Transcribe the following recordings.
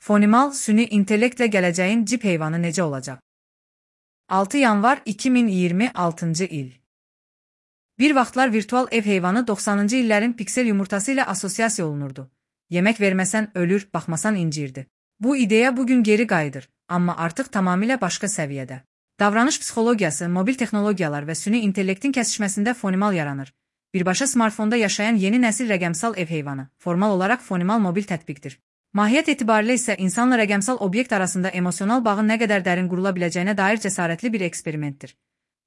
Fonimal, süni intellektlə gələcəyin cip heyvanı necə olacaq? 6 yanvar 2026-cı il. Bir vaxtlar virtual ev heyvanı 90-cı illərin piksel yumurtası ilə asosiasiya olunurdu. Yemək verməsən ölür, baxmasan incirdi. Bu ideya bugün geri qayıdır, amma artıq tamamilə başqa səviyyədə. Davranış psixologiyası, mobil texnologiyalar və süni intellektin kəsişməsində fonimal yaranır. Birbaşa smartfonda yaşayan yeni nəsil rəqəmsal ev heyvanı, formal olaraq fonimal mobil tətbiqdir. Mahiyyət etibarilə isə insanla rəqəmsal obyekt arasında emosional bağın nə qədər dərin qurula biləcəyinə dair cəsarətli bir eksperimentdir.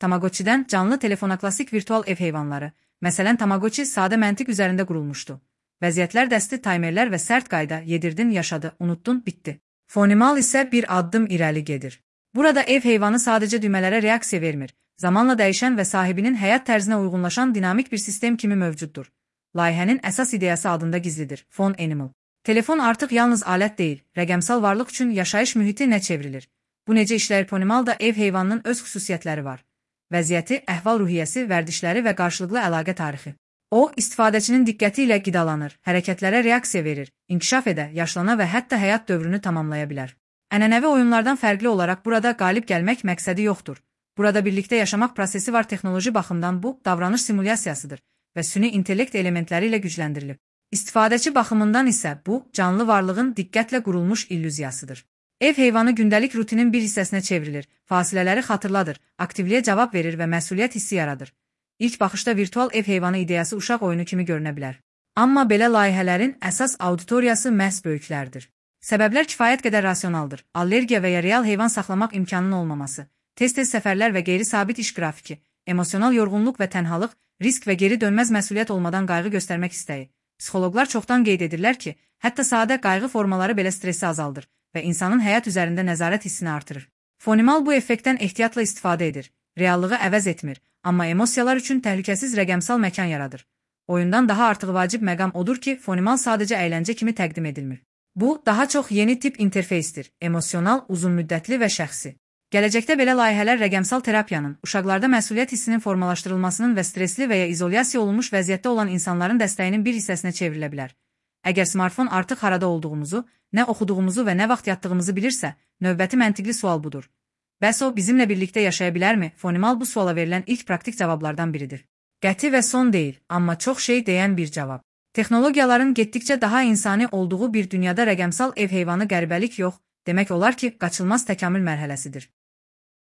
Tamagotchi'dən canlı telefona klassik virtual ev heyvanları, məsələn Tamagotchi sadə məntiq üzərində qurulmuşdu. Vəziyyətlər dəsti, taymerlər və sərt qayda, yedirdin, yaşadı, unuttun, bitdi. Fonimal isə bir addım irəli gedir. Burada ev heyvanı sadəcə düymələrə reaksiya vermir, zamanla dəyişən və sahibinin həyat tərzinə uyğunlaşan dinamik bir sistem kimi mövcuddur. Layihənin əsas ideyası adında gizlidir, Phone Animal. Telefon artıq yalnız alət deyil, rəqəmsal varlıq üçün yaşayış mühiti nə çevrilir. Bu necə işləyir? Fonimalda ev heyvanının öz xüsusiyyətləri var. Vəziyyəti, əhval-ruhiyyəsi, vərdişləri və qarşılıqlı əlaqə tarixi. O, istifadəçinin diqqəti ilə qidalanır, hərəkətlərə reaksiya verir, inkişaf edə, yaşlana və hətta həyat dövrünü tamamlaya bilər. Ənənəvi oyunlardan fərqli olaraq burada qalib gəlmək məqsədi yoxdur. Burada birlikdə yaşamaq prosesi var. Texnoloji baxımdan bu, davranış simulyasiyasıdır və süni intellekt elementləri ilə gücləndirilib. İstifadəçi baxımından isə bu, canlı varlığın diqqətlə qurulmuş illüziyasıdır. Ev heyvanı gündəlik rutinin bir hissəsinə çevrilir, fasilələri xatırladır, aktivliyə cavab verir və məsuliyyət hissi yaradır. İlk baxışda virtual ev heyvanı ideyası uşaq oyunu kimi görünə bilər. Amma belə layihələrin əsas auditoriyası məhz böyüklərdir. Səbəblər kifayət qədər rasionaldır. Allergiya və ya real heyvan saxlamaq imkanının olmaması, tez-tez səfərlər və qeyri-sabit iş qrafiki, emosional yorğunluq və tənhalıq, risk və geri dönməz məsuliyyət olmadan qayğı göstərmək istəyi. Psixoloqlar çoxdan qeyd edirlər ki, hətta sadə qayğı formaları belə stressi azaldır və insanın həyat üzərində nəzarət hissini artırır. Fonimal bu effektdən ehtiyatla istifadə edir, reallığı əvəz etmir, amma emosiyalar üçün təhlükəsiz rəqəmsal məkan yaradır. Oyundan daha artıq vacib məqam odur ki, fonimal sadəcə əyləncə kimi təqdim edilmir. Bu, daha çox yeni tip interfeysdir, emosional, uzunmüddətli və şəxsi. Gələcəkdə belə layihələr rəqəmsal terapiyanın, uşaqlarda məsuliyyət hissinin formalaşdırılmasının və stresli və ya izolyasiya olunmuş vəziyyətdə olan insanların dəstəyinin bir hissəsinə çevrilə bilər. Əgər smartfon artıq harada olduğumuzu, nə oxuduğumuzu və nə vaxt yatdığımızı bilirsə, növbəti məntiqli sual budur. Bəs o, bizimlə birlikdə yaşaya bilərmi? Fonimal bu suala verilən ilk praktik cavablardan biridir. Qəti və son deyil, amma çox şey deyən bir cavab. Texnologiyaların getdikcə daha insani olduğu bir dünyada rəqəmsal ev heyvanı qəribəlik yox, demək olar ki, qaçılmaz təkamül mərhələsidir.